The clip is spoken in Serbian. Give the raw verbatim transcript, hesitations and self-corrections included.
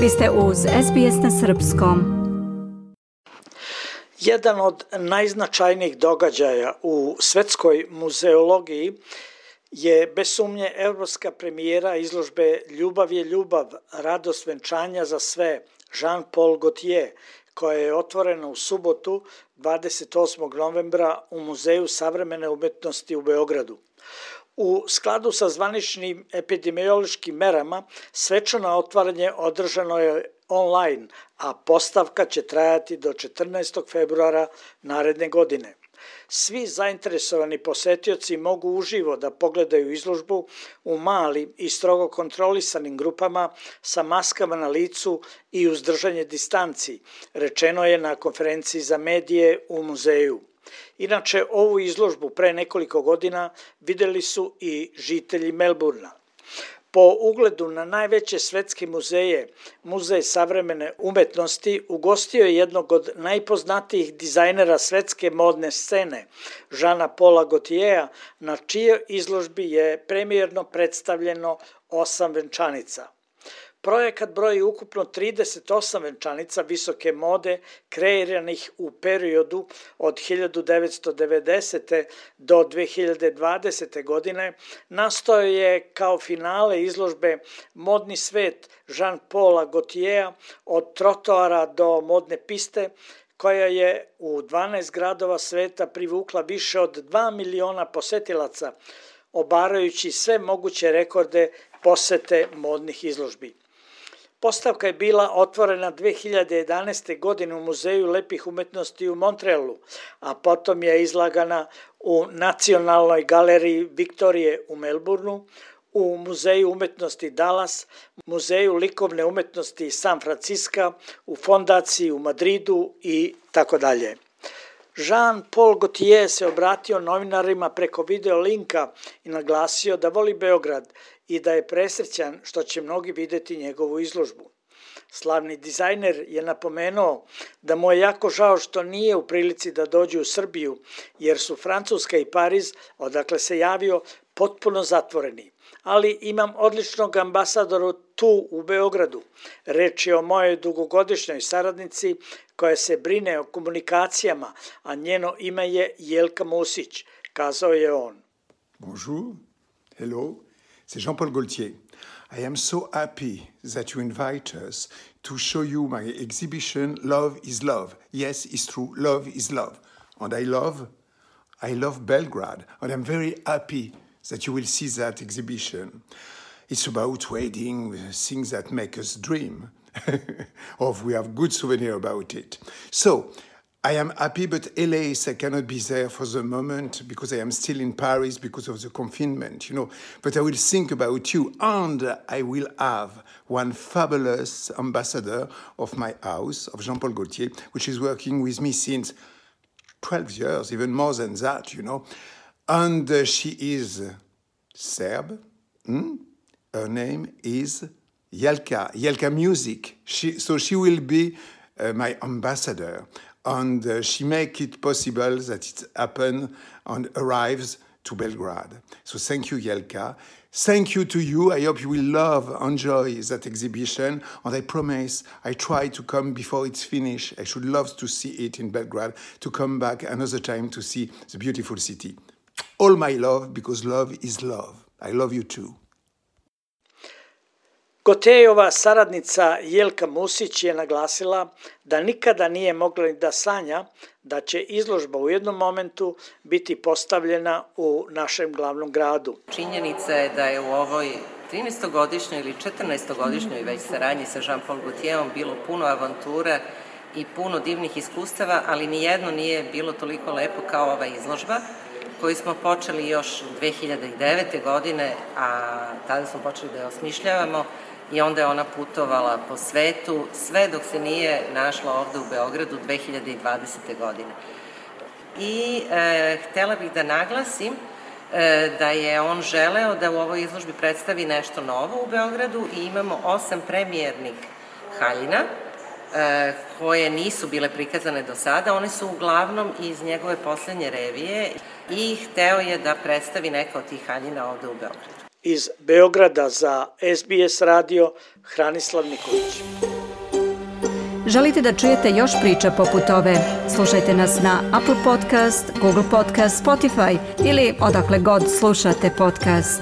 Vi ste uz S B S na srpskom. Jedan od najznačajnijih događaja u svetskoj muzeologiji je bez sumnje evropska premijera izložbe Ljubav je ljubav, radost venčanja za sve, Jean-Paul Gaultier, koja je otvorena u subotu dvadeset osmog novembra u Muzeju savremene umetnosti u Beogradu. U skladu sa zvaničnim epidemiološkim merama, svečano otvaranje održano je online, a postavka će trajati do četrnaestog februara naredne godine. Svi zainteresovani posetioci mogu uživo da pogledaju izložbu u malim i strogo kontrolisanim grupama sa maskama na licu i uz držanje distanci, rečeno je na konferenciji za medije u muzeju. Inače, ovu izložbu pre nekoliko godina videli su i žitelji Melburna. Po ugledu na najveće svetske muzeje, Muzej savremene umetnosti ugostio je jednog od najpoznatijih dizajnera svetske modne scene, Jeana-Paula Gaultiera, na čijoj izložbi je premijerno predstavljeno osam venčanica. Projekat broji ukupno trideset osam venčanica visoke mode kreiranih u periodu od hiljadu devetsto devedesete. do dve hiljade dvadesete. godine, nastao je kao finale izložbe Modni svet Jean-Paula Gaultiera od trotoara do modne piste, koja je u dvanaest gradova sveta privukla više od dva miliona posetilaca, obarajući sve moguće rekorde posete modnih izložbi. Postavka je bila otvorena dve hiljade jedanaeste. godine u Muzeju lepih umetnosti u Montrealu, a potom je izlagana u Nacionalnoj galeriji Viktorije u Melbourneu, u Muzeju umetnosti Dallas, Muzeju likovne umetnosti San Francisco, u Fondaciji u Madridu i tako dalje. Jean-Paul Gaultier se obratio novinarima preko video linka i naglasio da voli Beograd i da je presrećan što će mnogi videti njegovu izložbu. Slavni dizajner je napomenuo da mu je jako žao što nije u prilici da dođe u Srbiju, jer su Francuska i Pariz, odakle se javio, potpuno zatvoreni. Ali imam odličnog ambasadora tu u Beogradu. Reč je o mojoj dugogodišnjoj saradnici koja se brine o komunikacijama, a njeno ime je Jelka Musić, kazao je on. Bonjour, hello, c'est Jean-Paul Gaultier. I am so happy that you invite us to show you my exhibition Love is Love. Yes, it's true, love is love. And I love, I love Belgrade, and I'm very happy that you will see that exhibition. It's about wedding, things that make us dream. Or we have good souvenir about it. So, I am happy, but L A, I cannot be there for the moment because I am still in Paris because of the confinement, you know. But I will think about you, and I will have one fabulous ambassador of my house, of Jean-Paul Gaultier, which is working with me since twelve years, even more than that, you know. And uh, she is Serb. Hmm? Her name is Jelka, Jelka Music. She, so she will be uh, my ambassador. And uh, she make it possible that it happen and arrives to Belgrade. So thank you, Jelka. Thank you to you. I hope you will love, enjoy that exhibition. And I promise I try to come before it's finished. I should love to see it in Belgrade, to come back another time to see the beautiful city. All my love, because love is love. I love you too. Gaultierova saradnica Jelka Musić je naglasila da nikada nije mogla ni da sanja da će izložba u jednom momentu biti postavljena u našem glavnom gradu. Činjenica je da je u ovoj trinaestogodišnjoj ili četrnaestogodišnjoj već saradnji sa Jean-Paul Gaultierom bilo puno avantura i puno divnih iskustava, ali nijedno nije bilo toliko lepo kao ova izložba koju smo počeli još dve hiljade devete. godine, a tada smo počeli da je osmišljavamo i onda je ona putovala po svetu sve dok se nije našla ovde u Beogradu dve hiljade dvadesete. godine. I e, htela bih da naglasim e, da je on želeo da u ovoj izložbi predstavi nešto novo u Beogradu i imamo osam premijernih haljina e, koje nisu bile prikazane do sada. One su uglavnom iz njegove poslednje revije i hteo je da predstavi neka od tih haljina ovde u Beogradu. Iz Beograda za S B S radio, Hranislav Nikolić. Želite da čujete još priča poput ove? Slušajte nas na Apple Podcast, Google Podcast, Spotify ili odakle god slušate podcast.